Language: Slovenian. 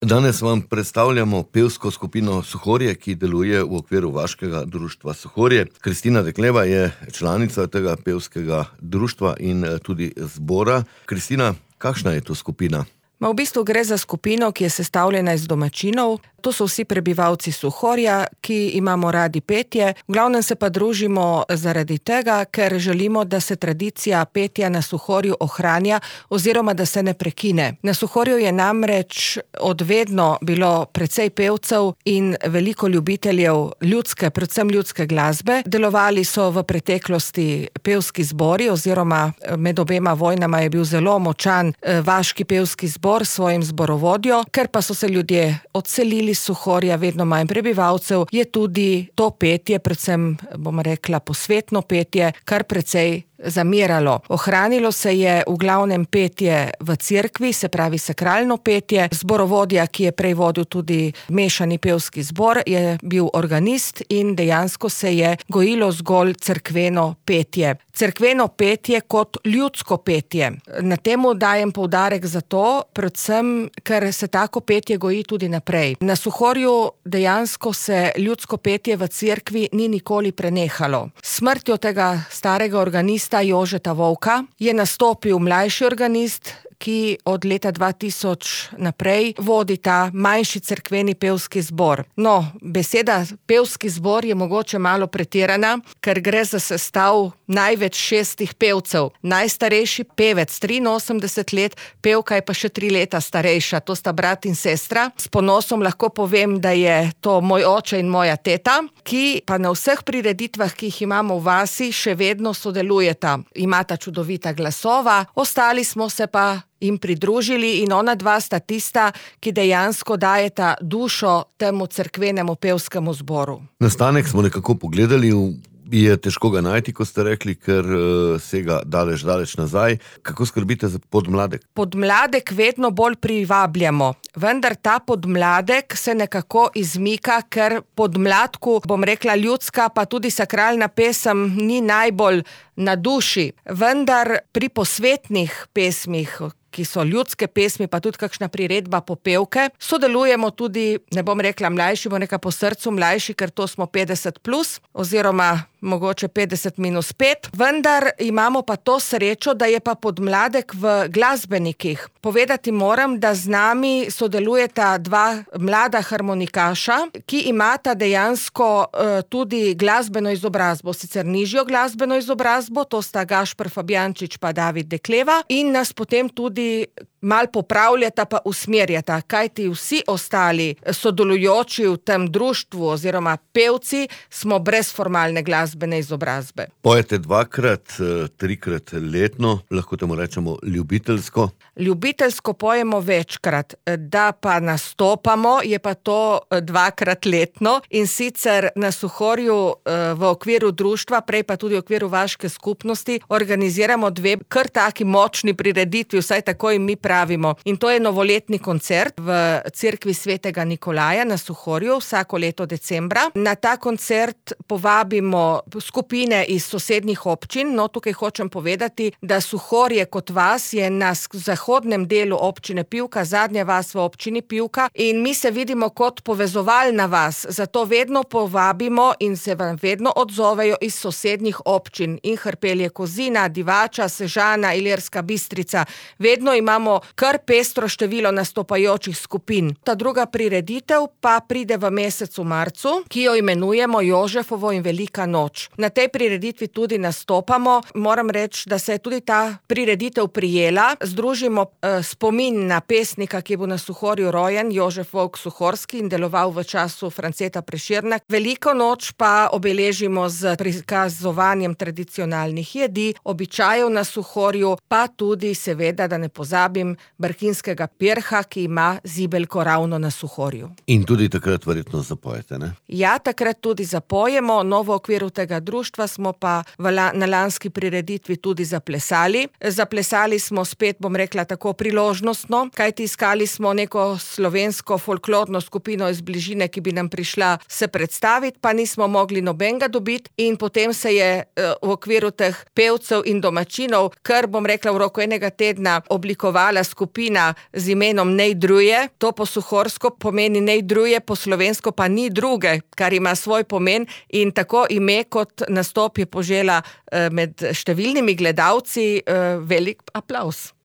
Danes vam predstavljamo pevsko skupino Suhorje, ki deluje v okviru vaškega društva Suhorje. Kristina Dekleva je članica tega pevskega društva in tudi zbora. Kristina, kakšna je to skupina? V bistvu gre za skupino, ki je sestavljena iz domačinov. To so vsi prebivalci Suhorja, ki imamo radi petje. V glavnem se pa družimo zaradi tega, ker želimo, da se tradicija petja na Suhorju ohranja oziroma da se ne prekine. Na Suhorju je namreč odvedno bilo precej pevcev in veliko ljubiteljev ljudske, predvsem ljudske glasbe. Delovali so v preteklosti pevski zbori oziroma med obema vojnama je bil zelo močan vaški pevski zbor s svojim zborovodjo. Ker pa so se ljudje odselili iz Suhorja, vedno manj prebivalcev, je tudi to petje, predvsem, bom rekla, posvetno petje, kar precej zamiralo. Ohranilo se je v glavnem petje v cerkvi, se pravi sakralno petje. Zborovodja, ki je prej vodil tudi mešani pevski zbor, je bil organist in dejansko se je gojilo zgolj cerkveno petje. Cerkveno petje kot ljudsko petje. Na temu dajem poudarek zato, predvsem, ker se tako petje goji tudi naprej. Na Suhorju dejansko se ljudsko petje v cerkvi ni nikoli prenehalo. Smrtjo tega starega organista Jožeta Volka je nastopil mlajši organist, ki od leta 2000 naprej vodi ta manjši cerkveni pevski zbor. No, beseda pevski zbor je mogoče malo pretirana, ker gre za sestav največ 6 pevcev. Najstarejši pevec, 83 let, pevka je pa še 3 leta starejša, to sta brat in sestra. S ponosom lahko povem, da je to moj oče in moja teta, ki pa na vseh prireditvah, ki jih imamo v vasi, še vedno sodelujeta. Imata čudovita glasova, ostali smo se pa jim pridružili in ona dva sta tista, ki dejansko dajeta dušo temu cerkvenemu pevskemu zboru. Nastanek smo nekako pogledali, je težko ga najti, ko ste rekli, ker sega daleč nazaj. Kako skrbite za podmladek? Podmladek vedno bolj privabljamo, vendar ta podmladek se nekako izmika, ker podmladku, bom rekla, ljudska pa tudi sakralna pesem ni najbolj na duši. Vendar pri posvetnih pesmih, ki so ljudske pesmi, pa tudi kakšna priredba popevke, sodelujemo tudi, ne bom rekla mlajši, bom rekla po srcu mlajši, ker to smo 50+, oziroma mogoče 50-5, vendar imamo pa to srečo, da je pa podmladek v glasbenikih. Povedati moram, da z nami sodelujeta 2 mlada harmonikaša, ki imata dejansko tudi glasbeno izobrazbo, sicer nižjo glasbeno izobrazbo, to sta Gašper Fabjančič pa David Dekleva, in nas potem tudi mal popravljata pa usmerjata, kajti vsi ostali sodelujoči v tem društvu oziroma pevci smo brez formalne glasbene izobrazbe. Pojete 2-krat, 3-krat letno, lahko temu rečemo ljubiteljsko? Ljubiteljsko pojemo večkrat, da pa nastopamo, je pa to 2-krat letno in sicer na Suhorju v okviru društva, prej pa tudi v okviru vaške skupnosti, organiziramo 2 kar taki močni prireditvi, vsaj tako jim mi pravimo. In to je novoletni koncert v cerkvi svetega Nikolaja na Suhorju vsako leto decembra. Na ta koncert povabimo skupine iz sosednjih občin. No, tukaj hočem povedati, da Suhorje kot vas je na zahodnem delu občine Pivka, zadnja vas v občini Pivka, in mi se vidimo kot povezovalna vas. Zato vedno povabimo in se vam vedno odzovejo iz sosednjih občin. In Hrpelje Kozina, Divača, Sežana, Ilirska Bistrica. Vedno imamo kar pestro število nastopajočih skupin. Ta druga prireditev pa pride v mesecu marcu, ki jo imenujemo Jožefovo in velika noč. Na tej prireditvi tudi nastopamo. Moram reči, da se je tudi ta prireditev prijela. Združimo spomin na pesnika, ki je bil na Suhorju rojen, Jožef Volk Suhorski, in deloval v času Franceta Prešerna. Veliko noč pa obeležimo z prikazovanjem tradicionalnih jedi, običajev na Suhorju, pa tudi seveda, da ne pozabim, brkinskega pirha, ki ima zibelko ravno na Suhorju. In tudi takrat verjetno zapojete, ne? Ja, takrat tudi zapojemo. No, v okviru tega društva smo pa na lanski prireditvi tudi zaplesali. Zaplesali smo spet, bom rekla tako, priložnostno, kajti iskali smo neko slovensko folklorno skupino iz bližine, ki bi nam prišla se predstaviti, pa nismo mogli nobenega dobiti, in potem se je v okviru teh pevcev in domačinov, kar, bom rekla, v roku enega tedna oblikovala nastala skupina z imenom Nej druje, to po suhorsko pomeni nej druje, po slovensko pa ni druge, kar ima svoj pomen in tako ime kot nastop je požela med številnimi gledalci velik aplavz.